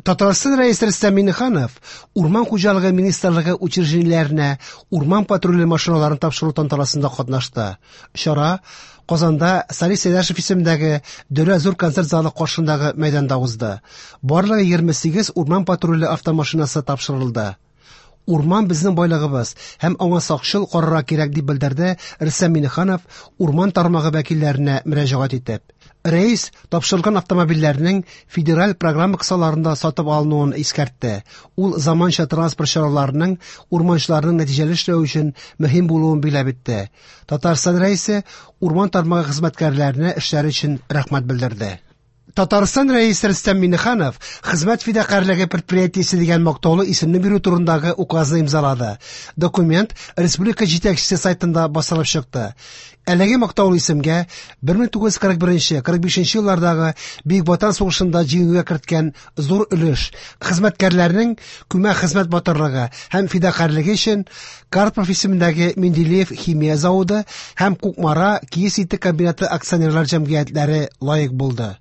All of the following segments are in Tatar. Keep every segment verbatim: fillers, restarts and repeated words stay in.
Татарстан Рәисе Рөстәм Миңнеханов Урман хуҗалыгы министрлыгы учреждениеләренә урман патруле машиналарын тапшыру тантанасында катнашты. Чара Казанда Салих Сәйдәшев исемендәге Дәүләт зур концерт залы каршындагы мәйданда узды. Барлыгы егерме сигез урман патруле автомашинасы тапшырылды. Урман безнең байлыгыбыз һәм аңа сакчыл карарга кирәк, дип белдерде Рөстәм Миңнеханов урман тармагы вәкилләренә мөрәҗәгать итеп. Рәис тапшырылган автомобильләрнең федераль программа кысаларында сатып алынуын искәртте. Ул заманча транспорт чараларының урманчыларның нәтиҗәле эшләве өчен мөһим булуын билгеләп үтте. Татарстан Рәисе урман тармагы хезмәткәрләренә эшләре өчен рәхмәт белдерде. Татарстан Рәисе Рөстәм Миңнеханов Хезмәт фидакарьлеге предприятиесе дигән мактаулы исемне бирү турындагы указны имзалады. Документ республика җитәкчесе сайтында басылып чыкты. Әлеге мактаулы исемгә бер мең тугыз йөз кырык беренче, кырык бишенче еллардагы Бөек Ватан сугышында җиңүгә керткән зур өлеш, хезмәткәрләрнең күмәк хезмәт батырлыгы һәм фидакарьлеге өчен Карпов исемендәге Менделеев химия заводы һәм Кукмара киез итек комбинаты акционерлар җәмгыятьләре лаек булды.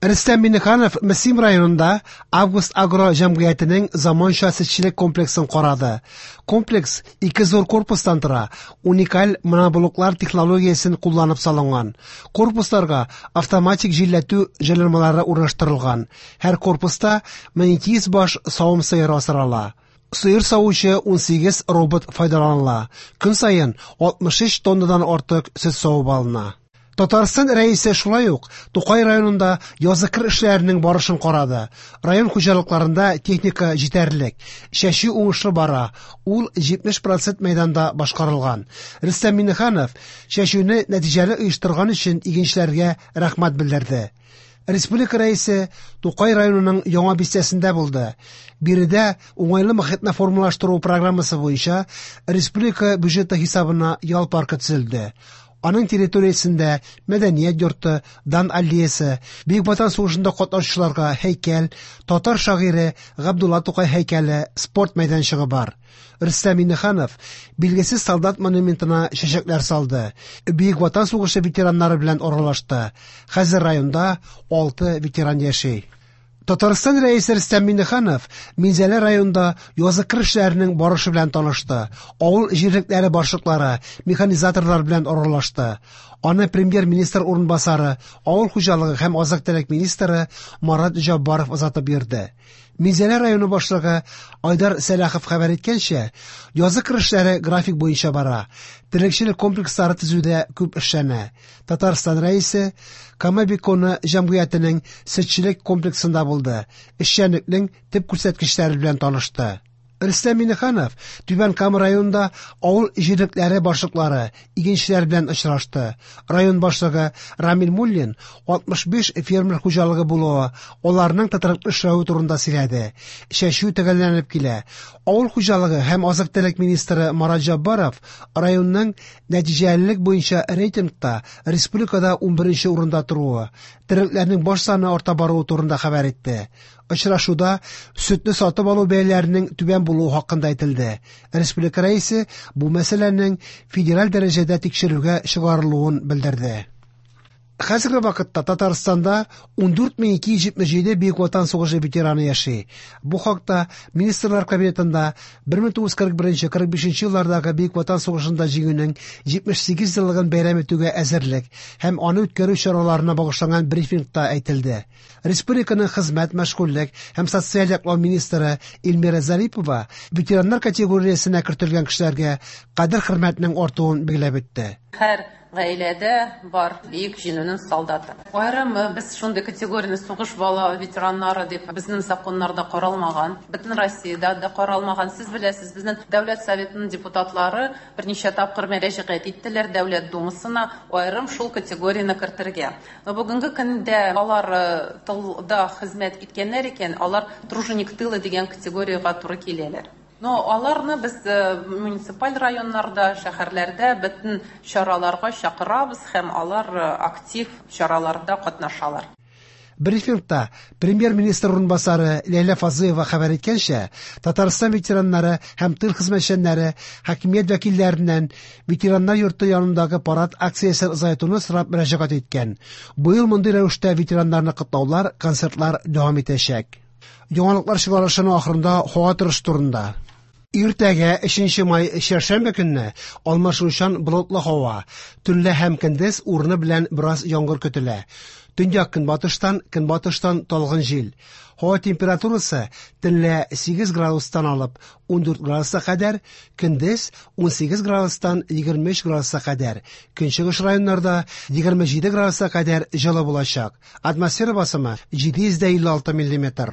Рөстәм Миңнеханов Мөслим районында Август Агро җәмгыятенең заманча сөтчелек комплексын карады. Комплекс ике зур корпустан тора, уникаль моноблоклар технологиясен кулланып салынган. Корпусларга автоматик җилләтү җайланмалары урнаштырылган. Һәр корпуста мең ике йөз баш савым сыеры асрала. Сыер савучы ун сигез робот файдаланыла. Көн саен алтмыш өч тоннадан артык сөт савып алына. Татарстан Рәисе шулай ук Тукай районында язгы кыр эшләренең барышын карады. Район хуҗалыкларында техника җитәрлек, чәчү уңышлы бара, ул җитмеш процент мәйданда башкарылган. Рөстәм Миңнеханов чәчүне нәтиҗәле оештырган өчен игенчеләргә рәхмәт белдерде. Республика Рәисе Тукай районының яңа бистәсендә булды. Биредә уңайлы мохитне формалаштыру программасы буенча республика бюджеты хисабына ял паркы төзелде. Аның территориясендә мәдәният йорты, Дан аллеясы, Бөек Ватан сугышында катнашучыларга һәйкәл, татар шагыйре Габдулла Тукай һәйкәле, спорт мәйданчыгы бар. Рөстәм Миңнеханов билгесез солдат монументына чәчәкләр салды. Бөек Ватан сугышы ветераннары белән аралашты. Хәзер районда алты ветеран яши. Татарстан Рәисе Рөстәм Миңнеханов Минзәлә районында язгы кыр эшләренең барышы белән танышты. Авыл җирлекләре башлыклары, механизаторлар белән аралашты. Аны премьер-министр урынбасары, авыл хуҗалыгы һәм азык-төлек министры Марат Җаббаров озатып йөрде. Минзәлә районы башлыгы Айдар Сәлахов хәбәр иткәнчә, язгы кыр эшләре график буенча бара. Терлекчелек комплекслары төзүдә күп эшләнә. Татарстан Рәисе Кама Беконы җәмгыятенең сөтчелек комплексында булды. Эшчәнлекнең төп күрсәткечләре белән танышты. Рөстәм Миңнеханов Түбән Кама районында авыл җирлекләре башлыклары, игенчеләр белән очрашты. Район башлыгы Рамил Муллин алтмыш биш фермер хуҗалыгы булуы, аларның тотрыклы эшләве турында сөйләде. Чәчү төгәлләнеп килә. Авыл хуҗалыгы һәм азык-төлек министры Марат Җаббаров районның нәтиҗәлелек буенча рейтингта республикада унберенче урында торуы, терлекләрнең баш саны арта баруы турында хәбәр итте. Очрашуда сөтне сатып алу бәяләренең түбән булуы хакында әйтелде. Республика Рәисе бу мәсьәләнең федераль дәрәҗәдә тикшерүгә чыгарылуын белдерде. Хәзерге вакытта Татарстанда ундүрт мең ике йөз җитмеш җиде Бөек Ватан сугышы ветераны яши. Бу хакта Министрлар Кабинетында бер мең тугыз йөз кырык беренче, кырык бишенче еллардагы Бөек Ватан сугышында җиңүнең җитмеш сигез еллыгын бәйрәм итүгә әзерлек һәм аны үткәрү чараларына багышланган брифингта әйтелде. Республиканың хезмәт, мәшгульлек һәм социаль яклау министры Эльмира Зарипова ветераннар категориясенә кертелгән кешеләргә кадер-хөрмәтнең артуын билгеләп үтте. Һәр гаиләдә бар Бөек Җиңүнең солдаты. Аерым без шундый категорияне сугыш бала ветераннары дип безнең законнарда каралмаган, бөтен Россиядә дә каралмаган. Сез беләсез, безнең Дәүләт Советының депутатлары берничә тапкыр мөрәҗәгать иттеләр Дәүләт Думасына аерым шул категорияне кертергә. Но бүгенге көндә алар, э, тылда хезмәт иткәннәр икән, алар труженик тыла дигән категориягә туры киләләр. Но аларны без, э, муниципаль районнарда, шәһәрләрдә бөтен чараларга чакырабыз һәм алар, э, актив чараларда катнашалар. Брифингта премьер-министр урынбасары Ләйлә Фазлыева хәбәр иткәнчә, Татарстан ветераннары һәм тыл хезмәтчәннәре хакимият вәкилләреннән ветераннар йорты янындагы парад акциясен озайтуны сорап мөрәҗәгать иткән. Быел мондый рәвештә ветераннарны котлаулар, концертлар дәвам итәчәк. Яңалыклар чыгарылышының ахырында һава торышы турында. Иртәгә өченче май чәршәмбе көнне алмашынучан болытлы һава, төнлә һәм көндез урыны белән бераз яңгыр көтелә. Төньяк көнбатыштан, көнбатыштан талгын җил. Һава температурасы төнлә сигез градустан алып ун дүрт градуска кадәр, көндез ун сигез градустан егерме өч градуска кадәр. Көнчыгыш районнарда егерме җиде градуска кадәр җылы булачак. Атмосфера басымы җиде йөз дә илле алты миллиметр.